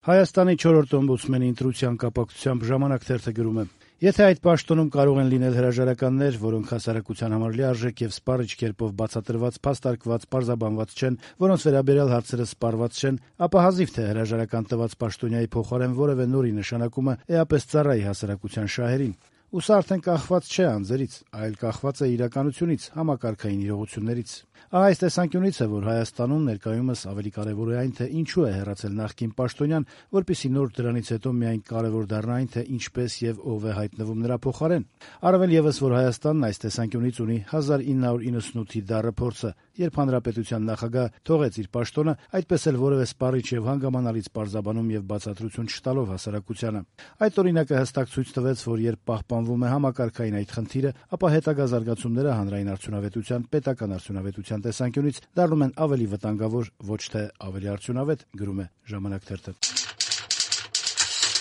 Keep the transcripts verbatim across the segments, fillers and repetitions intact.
Հայաստանի չորրորդ օմբուդսմենի ընտրության կապակցությամբ «Ժամանակ» թերթը գրում է. «Եթե այդ պաշտոնում կարող են լինել հրաժարականներ, որոնք հասարակության համար լիարժեք եւ սպառիչ կերպով բացատրված, փաստարկված, պարզաբանված չեն, որոնց վերաբերյալ հարցերը սպառված չեն, ապա հազիվ թե հրաժարական տված պաշտոնյայի փոխարեն որեւէ նորի նշանակումը էապես ծառայի հասարակության շահերին։ Ու սա արդեն կախված չէ անձերից, այլ կախված է իրականությունից, համակարգային իրողություններից։ Ահա այս տեսանկյունից է, որ Հայաստանում ներկայումս ավելի կարեւոր է այն, թե ինչու է հեռացել նախկին պաշտոնյան, որպեսզի նոր դրանից հետո միայն կարեւոր դառնա այն, թե ինչպես եւ ով է հայտնվում նրա փոխարեն։ Առավել եւս, որ Հայաստանն այս տեսանկյունից ունի հազար ինը հարյուր իննսունութի դառը փորձը, երբ հանրապետության նախագահ թողեց իր պաշտոնը, այդպես էլ որեւէ սպառիչ եւ հանգամանալից պարզաբանում եւ բացատրություն չտալով հասարակությանը։ Այդ օրինակը հստակ ցույց տվեց, որ երբ պահպանվում է համակարգային այդ խնդիրը, ապա հետագա զարգացումները հանրային արդյունավետության, պետական արդյունավետության տեսանկյունից դառնում են ավելի վտանգավոր, ոչ թե ավելի արդյունավետ, գրում է «Ժամանակ» թերթը։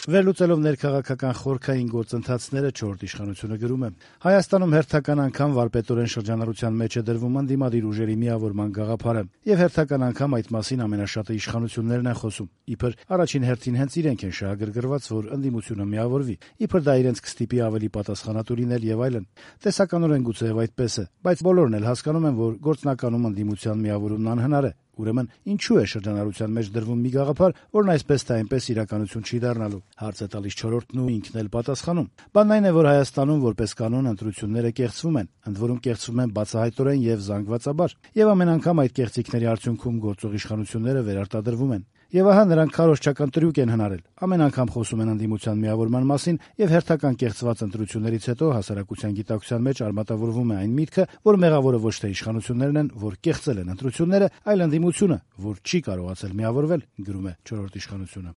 Վերլուծելով ներքաղաքական խորքային գործընթացները չորրորդ իշխանությունը գրում է. «Հայաստանում հերթական անգամ վարպետորեն շրջանառության մեջ է դրվում ընդդիմադիր ուժերի միավորման գաղափարը, եւ հերթական անգամ այդ մասին ամենաշատը իշխանություններն են խոսում։ Իբր առաջին հերթին հենց իրենք են շահագրգռված, որ ընդդիմությունը միավորվի, իբր դա իրենց կստիպի ավելի պատասխանատու լինել եւ այլն։ Տեսականորեն գուցեև այդպես է, բայց բոլորն էլ հասկանում են, որ գործնականում ընդդիմության միավորումն անհնար է։ Ուրեմն ինչու է շրջանառության մեջ դրվում մի գաղափար, որն այսպես թե այնպես իրականություն չի դառնալու։ Հարց է տալիս չորրորդն ու ինքն էլ պատասխանում։ Բանն այն է, որ Հայաստանում որպես կանոն ընտրությունները կեղծվում են, ընդ որում կեղծվում են բացահայտորեն եւ զանգվածաբար, եւ ամեն անգամ այդ կեղծիքների արդյունքում գործող իշխանությունները վերարտադրվում են։ Եվ ահա նրանք քարոզչական տրյուկ են հնարել։ Ամեն անգամ խոսում են ընդդիմության միավորման մասին եւ հերթական կեղծված ընտրություններից հետո հասարակության գիտակցության մեջ արմատավորվում է այն միտքը, որ մեղավորը ոչ թե իշխանություններն են, որ կեղծել են ընտրությունները, այլ ընդդիմությունը, որ չի կարողացել միավորվել, գրում է չորրորդ իշխանությունը»։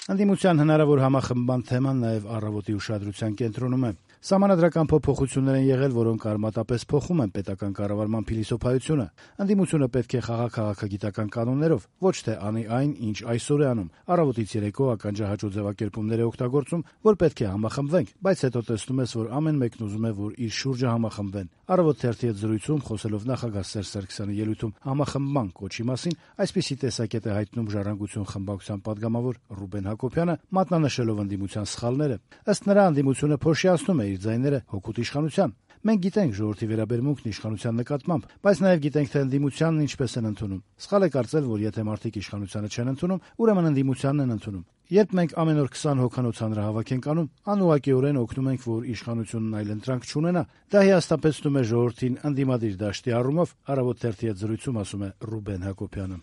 Ընդդիմության հնարավոր համախմբման թեման նաեւ «Առավոտ»-ի ուշադրության կենտրոնում է։ Սահմանադրական փոփոխություններ են եղել, որոնք արմատապես փոխում են պետական կառավարման փիլիսոփայությունը։ Ընդդիմությունը պետք է խաղա քաղաքագիտական կանոններով, ոչ թե անի այն, ինչ այսօր է անում։ Առավոտից երեկո ականջահաճո ձևակերպումներ է օգտագործում, որ պետք է համախմբվենք, բայց հետո տեսնում ես, որ ամեն մեկն ուզում է, որ իր շուրջը համախմբվեն։ Առավոտ թերթի հետ զրույցում, խոսելով նախագահ Սերժ Սարգսյանի ելույթում համախմբման կոչի մասին, այսպիսի տեսակետ է հայտնում «Ժառանգություն» խմբակցության պատգամավոր Ռուբեն Հակոբյանը, մատնանշելով ընդդիմության սխալները։ Ըստ նրա, ընդդիմությունը փոշիացնում է իր ձայները հօգուտ իշխանության։ Մենք գիտենք ժողովրդի վերաբերմունքն իշխանության նկատմամբ, բայց նաև գիտենք, թե ընդդիմությանն ինչպես են ընդունում։ Սխալ է կարծել, որ եթե մարդիկ իշխանությանը չեն ընդունում, ուրեմն ընդդիմությանն են ընդունում։ Երբ մենք ամեն օր քսան հոգանոց հանրահավաք ենք անում, անուղղակիորեն օգնում ենք, որ իշխանությունն այլ ընտրանք չունենա։ Դա հիասթափեցնում է ժողովրդին ընդդիմադիր դաշտի առումով, «Առավոտ» թերթի հետ զրույցում ասում է Ռուբեն Հակոբյանը։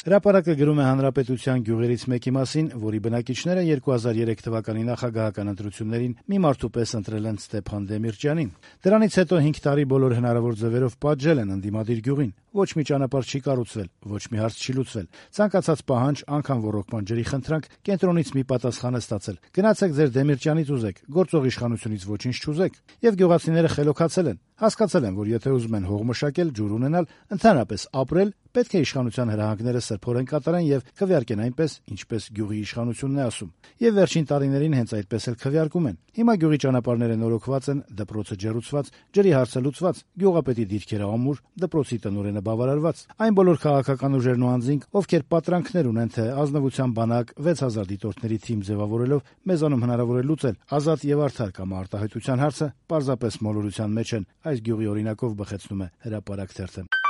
Հրապարակը գրում է Հանրապետության գյուղերից մեկի մասին, որի բնակիչները երկու հազար երեք թվականի նախագահական ընտրություններին մի մարդու պես ընտրել են Ստեփան Դեմիրճյանին։ Դրանից հետո հինգ տարի բոլոր հնարավոր ձևերով պատժել են ընդդիմադիր գյուղին։ Ոչ մի ճանապարհ չի կառուցվել, ոչ մի հարց չի լուծվել։ Ցանկացած պահանջ, անգամ ռոռոկման ջրի խնդրանք, կենտրոնից մի պատասխան է ստացել։ Գնացեք ձեր Դեմիրճյանից ուզեք, գործող իշխանությունից ոչինչ չուզեք։ Եվ գյուղացիները խելոքացել են, հասկացել են, որ եթե ուզում են հող մշակել, ջուր ունենալ, ընդհանրապես ապրել, պետք է իշխանության հրահանգները սրբորեն կատարեն եւ քվեարկեն այնպես, ինչպես գյուղի իշխանությունն է ասում։ Եվ վերջին տարիներին հենց այդպես էլ քվեարկում են։ Հիմա գյուղի ճանապարհները նորոգված են, դպրոցը ջերուցված, ջրի հարցը լուծված, գյուղապետի դիրքերը ամուր, դպրոցի տնօրենը բավարարված։ Այն բոլոր քաղաքական ուժերն ու անձինք, ովքեր պատրանքներ ունեն, թե ազնվության բանակ վեց հազար դիտորդների թիմ ձևավորելով մեզանում հնարավոր է լուծել ազատ եւ արդար կամ արտահայտության հարցը, պարզապես մոլորության մեջ են։ Այս գյուղի օրինակով բխեցնում է Հրապարակ թերթը։